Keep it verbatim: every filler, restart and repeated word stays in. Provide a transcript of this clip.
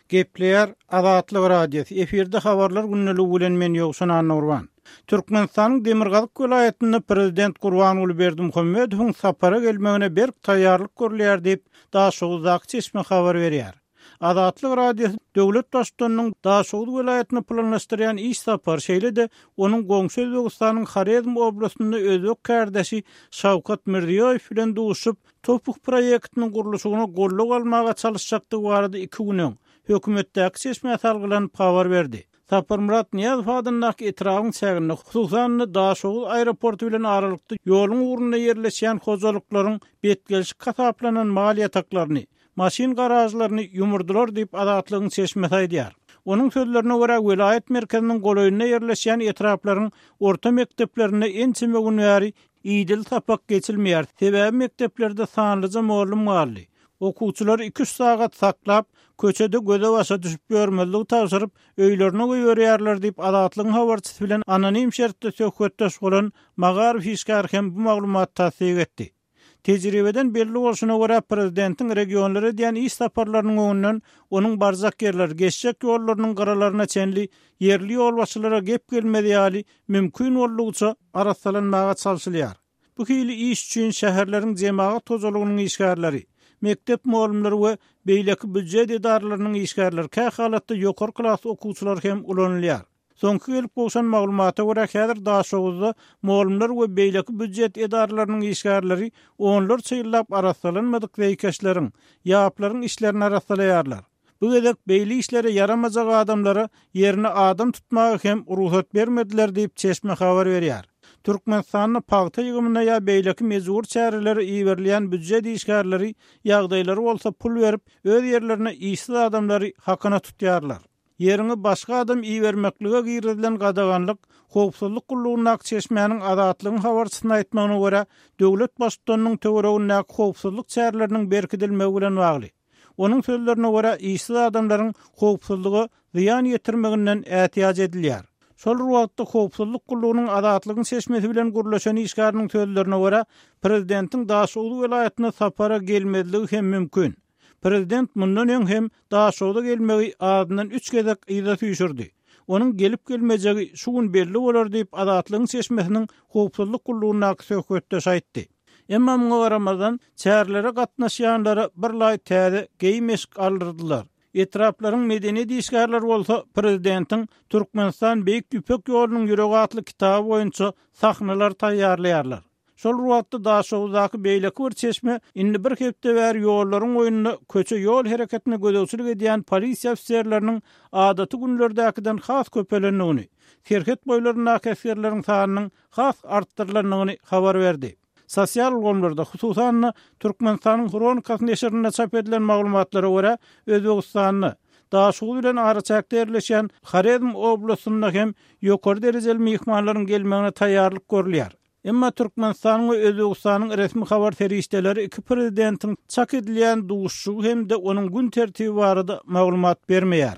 Gepleýär Azatlyk Radiosy, efirde Habarlar gündeligi bilen men Ýowşan Annagurban. Türkmenistanyň Demirgazyk welaýatynda prezident Gurbanguly Berdimuhamedowyň sapara gelmegine berk taýýarlyk görülýär diýip, Daşoguzdaky çeşme habar berýär. Azatlyk Radiosy döwlet baştutanynyň Daşoguz welaýatyna planlaşdyrýan iş sapary, şeýle-de onuň goňşy Özbegistanyň Horezm oblastynda özbek kärdeşi Şawkat Mirziýoýew bilen duşup, TOPH proýektiniň gurluşygyna goldaw almaga çalyşjakdygy barada iki gün öň, hökümetdäki çeşmä salgylanyp habar berdi. Saparmyrat Nyýazow adyndaky etrabyň çäginde, hususan-da, Daşoguz aeroporty bilen aralykda ýoluň ugrunda ýerleşýän hojalyklaryň betgelşik hasaplanan mal ýataklaryny, maşyn garažlaryny ýumurdylar diýip, Azatlygyň çeşmesi aýdýar. Onuň sözlerine görä, welaýat merkeziniň golaýynda ýerleşýän etraplaryň orta mekdeplerinde ençeme gün bäri idili sapak geçilmeýär, sebäbi mekdeplerde sanlyja mugallym galdy. Okuwçylary iki-üç sagat saklap, köçede göze-başa düşüp ýörmezligi tabşyryp, öýlerine goýberýärler diýip, Azatlygyň habarçysy bilen anonim şertde söhbetdeş bolan magaryf işgäri hem bu maglumaty tassyk etdi. Tejribeden belli bolşuna görä, prezidentiň regionlara edýän iş saparlarynyň öňünden onuň barjak ýerleri, geçjek ýollarynyň gyralaryna çenli ýerli ýolbaşçylara gep gelmez ýaly, mümkin boldugyça arassalanmaga çalşylýar. Bu hili iş üçin şäherleriň jemagat hojalygynyň işgärleri, mekdep mugallymlary we beýleki býujet edaralarynyň işgärleri, kähalatda ýokary klas okuwçylary hem ulanylýar. Soňky gelip gowşan maglumata görä, häzir Daşoguzda mugallymlar we beýleki býujet edaralarynyň işgärleri onlarça ýyllap arassalanmadyk zeýkeşleriň, ýaplaryň içlerini arassalaýarlar. Bu gezek beýle işlere ýaramajak adamlara ýerine adam tutmaga hem rugsat bermediler diýip, çeşme habar berýär. Türkmenistanda pagta ýygymyna ýa beýleki mejbury çärelere iberilýän býujet işgärleri ýagdaýlary bolsa pul berip, öz ýerlerine işsiz adamlary hakyna tutýarlar. Ýeriňe başga adam ibermeklige girizilen gadaganlyk, howpsuzlyk gullugyndaky çeşmäniň Azatlygyň habarçysyna aýtmagyna görä, döwlet baştutanynyň töweregindäki howpsuzlyk çäreleriniň berkidilmegi bilen bagly. Onuň sözlerine görä, işsiz adamlaryň howpsuzlyga zyýan ýetirmeginden ätiýaç edilýär. Şol bir wagtda, howpsuzlyk gullugynyň Azatlygyň çeşmesi bilen gürleşen işgäriniň sözlerine görä, prezidentiň Daşoguz welaýatyna sapara gelmezligi hem mümkin. Prezident mundan öň hem Daşogza gelmegi azyndan üç gezek yza süýşürdi. Onuň gelip-gelmejegi şu gün belli bolar diýip, Azatlygyň çeşmesiniň howpsuzlyk gullugyndaky söhbetdeşi aýtdy. Emma muňa garamazdan, çärelere gatnaşýanlara bir laý täze geýim-eşik aldyrdylar. Etraplaryň medeniýet işgärleri bolsa prezidentiň Türkmenistan Beýik Ýüpek ýolunyň ýüregi atly kitaby boýunça sahnalar taýýarlaýarlar. Şol bir wagtda Daşoguzdaky beýleki bir çeşme indi bir hepde bäri ýollaryň boýunda köçe-ýol hereketine gözegçilik edýän polisiýa ofiserleriniň adaty günlerdäkiden has köpelendigini, serhet boýlaryndaky esgerleriň sanynyň has artdyrylandygyny habar berdi. Sosial ulgamlarda, hususan-da, Türkmenistanyň Hronikasy neşirinde çap edilen maglumatlara görä, Özbegistanda, Daşoguz bilen araçäkde ýerleşýän Horezm oblastynda hem ýokary derejeli myhmanlaryň gelmegine taýýarlyk görülýär. Emma Türkmenistanyň we Özbegistanyň resmi habar serişdeleri iki prezidentiň çak edilýän duşuşygy hem-de onuň gün tertibi barada maglumat bermeýär.